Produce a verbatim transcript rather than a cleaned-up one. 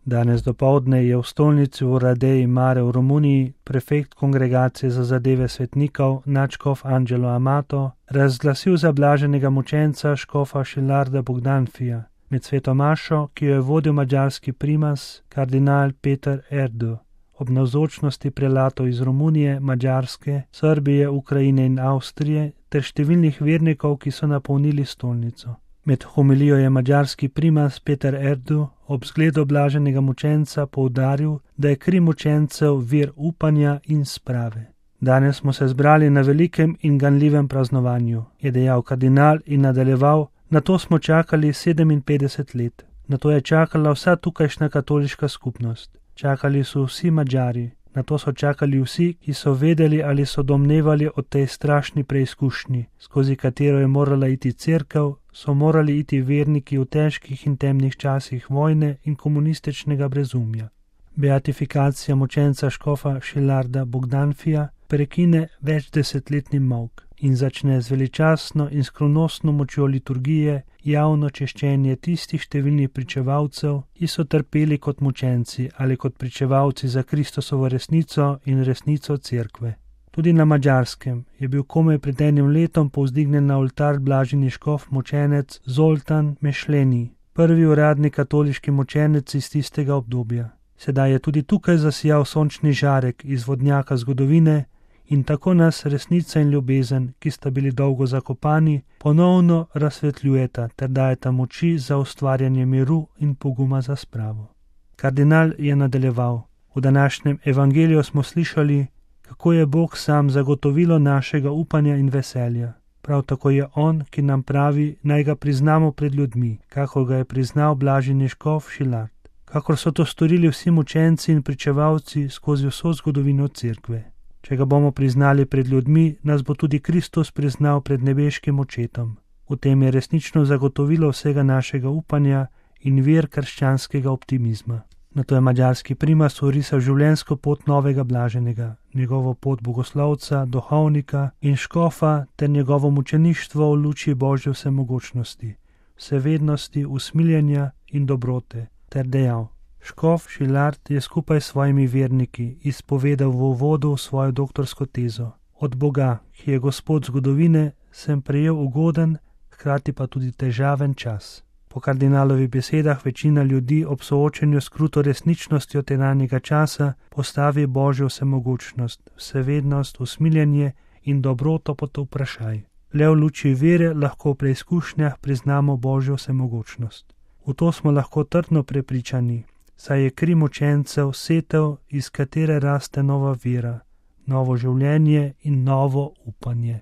Danes dopoldne je v stolnici v Radeji Mare v Romuniji prefekt Kongregacije za zadeve svetnikov nadškof Angelo Amato razglasil za blaženega mučenca škofa Šilarda Bogdanfija med sveto mašo, ki jo je vodil madžarski primas kardinal Peter Erdo ob navzočnosti prelatov iz Romunije, Madžarske, Srbije, Ukrajine in Avstrije ter številnih vernikov, ki so napolnili stolnico. Med homilijo je madžarski primas Peter Erdo ob zgledu blaženega mučenca poudaril, da je kri mučencev vir upanja in sprave. Danes smo se zbrali na velikem in ganljivem praznovanju, je dejal kardinal in nadaljeval, na to smo čakali sedeminpetdeset let. Na to je čakala vsa tukajšnja katoliška skupnost. Čakali so vsi Madžari, na to so čakali vsi, ki so vedeli ali so domnevali o tej strašni preizkušnji, skozi katero je morala iti cerkev, so morali iti verniki v težkih in temnih časih vojne in komunističnega brezumja. Beatifikacija mučenca škofa Šilarda Bogdanfija prekine večdesetletni molk in začne z veličastno in skrivnostno močjo liturgije javno češčenje tistih številnih pričevalcev, ki so trpeli kot mučenci ali kot pričevalci za Kristusovo resnico in resnico cerkve. Tudi na Madžarskem je bil komaj pred enim letom povzdignjen na oltar blaženi škof mučenec Zoltan Mešleni, prvi uradni katoliški mučenec iz tistega obdobja. Sedaj je tudi tukaj zasijal sončni žarek iz vodnjaka zgodovine in tako nas resnica in ljubezen, ki sta bili dolgo zakopani, ponovno razsvetljujeta ter dajeta moči za ustvarjanje miru in poguma za spravo. Kardinal je nadaljeval: v današnjem evangeliju smo slišali, kako je Bog sam zagotovilo našega upanja in veselja. Prav tako je On, ki nam pravi, naj ga priznamo pred ljudmi, kakor ga je priznal blaženi škof Šilard, kakor so to storili vsi mučenci in pričevalci skozi vso zgodovino cerkve. Če ga bomo priznali pred ljudmi, nas bo tudi Kristus priznal pred nebeškim očetom. V tem je resnično zagotovilo vsega našega upanja in vir krščanskega optimizma. Nato je madžarski primas orisal življenjsko pot novega blaženega, njegovo pot bogoslovca, duhovnika in škofa ter njegovo mučeništvo v luči Božje vsemogočnosti, vsevednosti, usmiljenja in dobrote, ter dejal: škof Šilard je skupaj s svojimi verniki izpovedal v uvodu svojo doktorsko tezo: od Boga, ki je Gospod zgodovine, sem prejel ugoden, hkrati pa tudi težaven čas. Po kardinalovih besedah večina ljudi ob soočenju s kruto resničnostjo tedanjega časa postavi Božjo vsemogočnost, vsevednost, usmiljenje in dobroto pod vprašaj. Le v luči vere lahko v preizkušnjah priznamo Božjo vsemogočnost. V to smo lahko trdno prepričani, saj je kri mučencev setev, iz katere raste nova vera, novo življenje in novo upanje.